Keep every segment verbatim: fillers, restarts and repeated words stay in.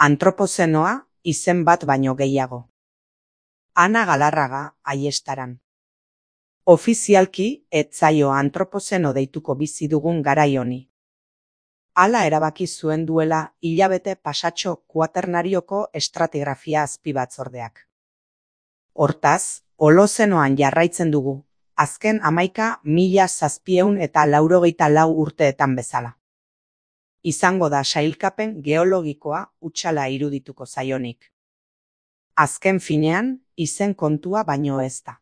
Antropozenoa, izen bat baino gehiago. Ana Galarraga, Aiestaran. Ofizialki, ez zaio antropozeno deituko bizi dugun garai honi. Hala erabaki zuen duela hilabete pasatxo kuaternarioko estratigrafia azpibatzordeak. Hortaz, Holozenoan jarraitzen dugu, azken hamaika mila zazpieun eta laurogeita lau urteetan bezala. Izango da sailkapen geologikoa hutsala irudituko zaionik. Azken finean, izen kontua baino ez da.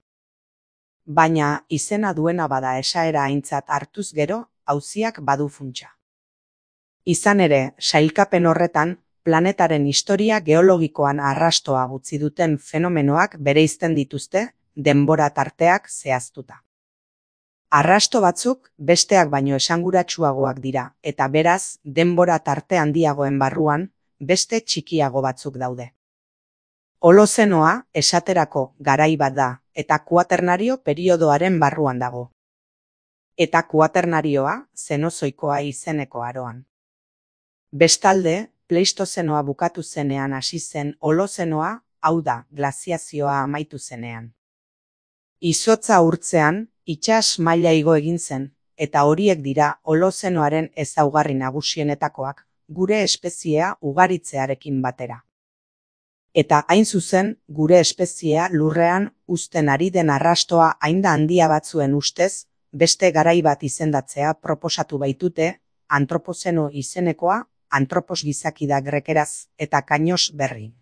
Baina izena duena bada esaera aintzat hartuz gero, auziak badu funtsa. Izan ere, sailkapen horretan, planetaren historia geologikoan arrastoa utzi duten fenomenoak bereizten dituzte, denbora tarteak zehaztuta. Arrasto batzuk besteak baino esanguratsuagoak dira, eta beraz, denbora tarte handiagoen barruan, beste txikiago batzuk daude. Holozenoa esaterako garai bat da, eta kuaternario periodoaren barruan dago. Eta kuaternarioa zenozoikoa izeneko aroan. Bestalde, Pleistozenoa bukatu zenean hasi zen Holozenoa, hau da, glaziazioa amaitu zenean. Izotza urtzean, itsas maila igo egin zen, eta horiek dira Holozenoaren ezaugarri nagusienetakoak, gure espeziea ugaritzearekin batera. Eta hain zuzen, gure espeziea lurrean uzten ari den arrastoa hain da handia batzuen ustez, beste garai bat izendatzea proposatu baitute, antropozeno izenekoa, antropos gizaki da grekeraz, eta kainos berri.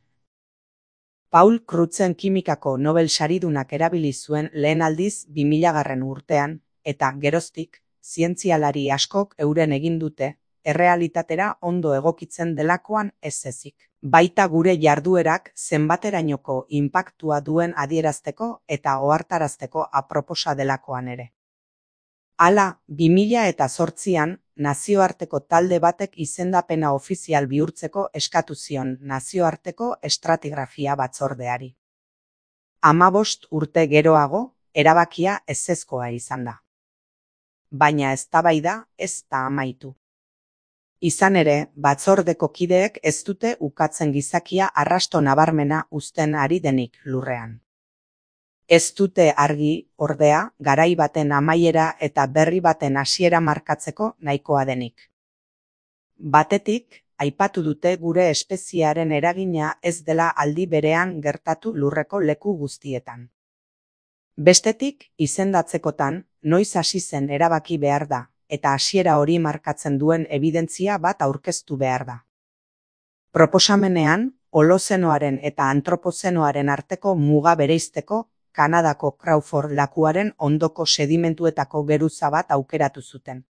Paul Crutzen kimikako Nobel saridunak erabili zuen lehen aldiz bi milagarren urtean, eta geroztik, zientzialari askok euren egin dute, errealitatera ondo egokitzen delakoan ez ezik. Baita gure jarduerak zenbaterainoko inpaktua duen adierazteko eta ohartarazteko aproposa delakoan ere. Hala, bi mila eta zortzian, nazioarteko talde batek izendapena ofizial bihurtzeko eskatu zion nazioarteko estratigrafia batzordeari. Hamabost urte geroago, erabakia ezezkoa izan da. Baina eztabaida ez da amaitu. Izan ere, batzordeko kideek ez dute ukatzen gizakia arrasto nabarmena uzten ari denik lurrean. Ez dute argi, ordea, garai baten amaiera eta berri baten hasiera markatzeko nahikoa denik. Batetik, aipatu dute gure espeziearen eragina ez dela aldi berean gertatu lurreko leku guztietan. Bestetik, izendatzekotan, noiz hasi zen erabaki behar da, eta hasiera hori markatzen duen ebidentzia bat aurkeztu behar da. Proposamenean, Holozenoaren eta antropozenoaren arteko muga bereizteko, Kanadako Crawford lakuaren ondoko sedimentuetako geruza bat aukeratu zuten.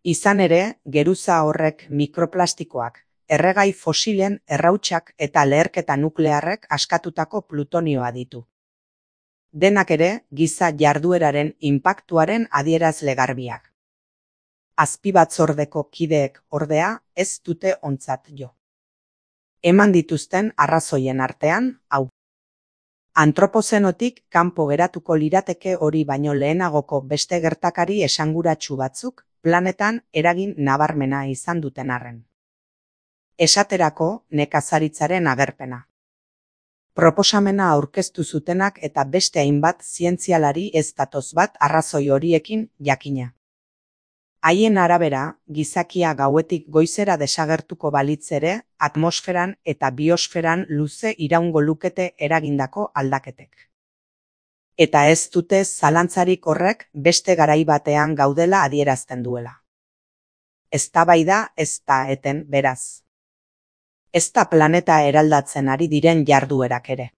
Izan ere, geruza horrek mikroplastikoak, erregai fosilen errautsak eta leherketa nuklearrek askatutako plutonioa ditu. Denak ere, giza jardueraren inpaktuaren adierazle garbiak. Azpibatzordeko kideek, ordea, ez dute ontzat jo. Eman dituzten arrazoien artean, hau. Antropozenotik kanpo geratuko lirateke hori baino lehenagoko beste gertakari esanguratsu batzuk planetan eragin nabarmena izan duten arren. Esaterako, nekazaritzaren agerpena. Proposamena aurkeztu zutenak eta beste hainbat zientzialari ez datoz bat arrazoi horiekin jakina. Haien arabera, gizakia gauetik goizera desagertuko balitz ere, atmosferan eta biosferan luze iraungo lukete eragindako aldaketek. Eta ez dute zalantzarik horrek beste garai batean gaudela adierazten duela. Eztabaida ez da eten beraz. Ez da planeta eraldatzen ari diren jarduerak ere.